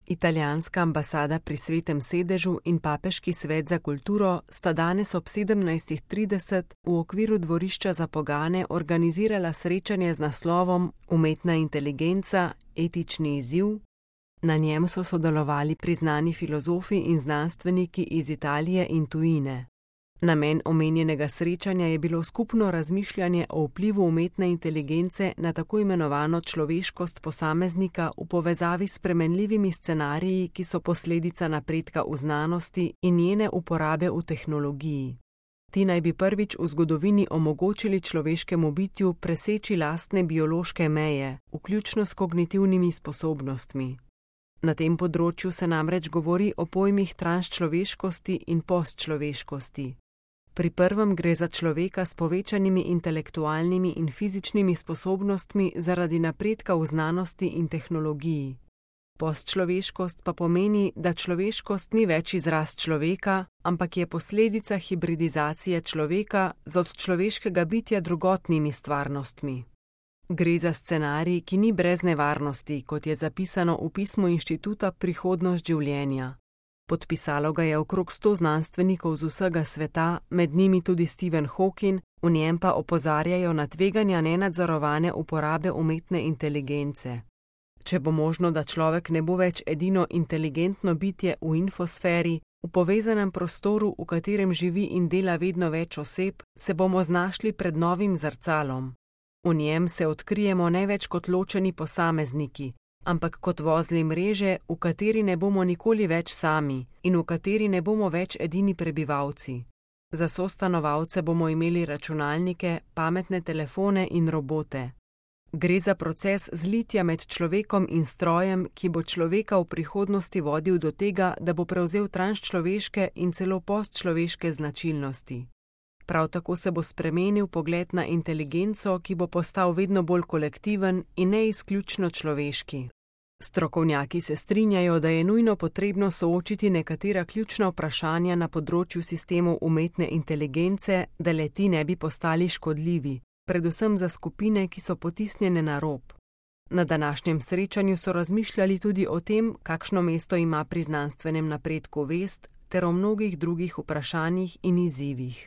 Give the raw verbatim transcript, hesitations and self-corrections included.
Italijanska ambasada pri Svetem sedežu in Papeški svet za kulturo sta danes ob sedemnajstih trideset v okviru dvorišča za pogane organizirala srečanje z naslovom Umetna inteligenca, etični izziv. Na njem so sodelovali priznani filozofi in znanstveniki iz Italije in tujine. Namen omenjenega srečanja je bilo skupno razmišljanje o vplivu umetne inteligence na tako imenovano človeškost posameznika v povezavi s spremenljivimi scenariji, ki so posledica napredka v znanosti in njene uporabe v tehnologiji. Ti naj bi prvič v zgodovini omogočili človeškemu bitju preseči lastne biološke meje, vključno s kognitivnimi sposobnostmi. Na tem področju se namreč govori o pojmih transčloveškosti in postčloveškosti. Pri prvem gre za človeka s povečanimi intelektualnimi in fizičnimi sposobnostmi zaradi napredka v znanosti in tehnologiji. Postčloveškost pa pomeni, da človeškost ni več izraz človeka, ampak je posledica hibridizacije človeka z od človeškega bitja drugotnimi stvarnostmi. Gre za scenarij, ki ni brez nevarnosti, kot je zapisano v pismu Inštituta Prihodnost življenja. Podpisalo ga je okrog sto znanstvenikov z vsega sveta, med njimi tudi Stephen Hawking, v njem pa opozarjajo na tveganja nenadzorovane uporabe umetne inteligence. Če bo možno, da človek ne bo več edino inteligentno bitje v infosferi, v povezanem prostoru, v katerem živi in dela vedno več oseb, se bomo znašli pred novim zrcalom. V njem se odkrijemo ne več kot ločeni posamezniki, ampak kot vozli mreže, v kateri ne bomo nikoli več sami in v kateri ne bomo več edini prebivalci. Za sostanovalce bomo imeli računalnike, pametne telefone in robote. Gre za proces zlitja med človekom in strojem, ki bo človeka v prihodnosti vodil do tega, da bo prevzel transčloveške in celo postčloveške značilnosti. Prav tako se bo spremenil pogled na inteligenco, ki bo postal vedno bolj kolektiven in ne izključno človeški. Strokovnjaki se strinjajo, da je nujno potrebno soočiti nekatera ključna vprašanja na področju sistemov umetne inteligence, da le-ti ne bi postali škodljivi, predvsem za skupine, ki so potisnjene na rob. Na današnjem srečanju so razmišljali tudi o tem, kakšno mesto ima pri znanstvenem napredku vest, ter o mnogih drugih vprašanjih in izzivih.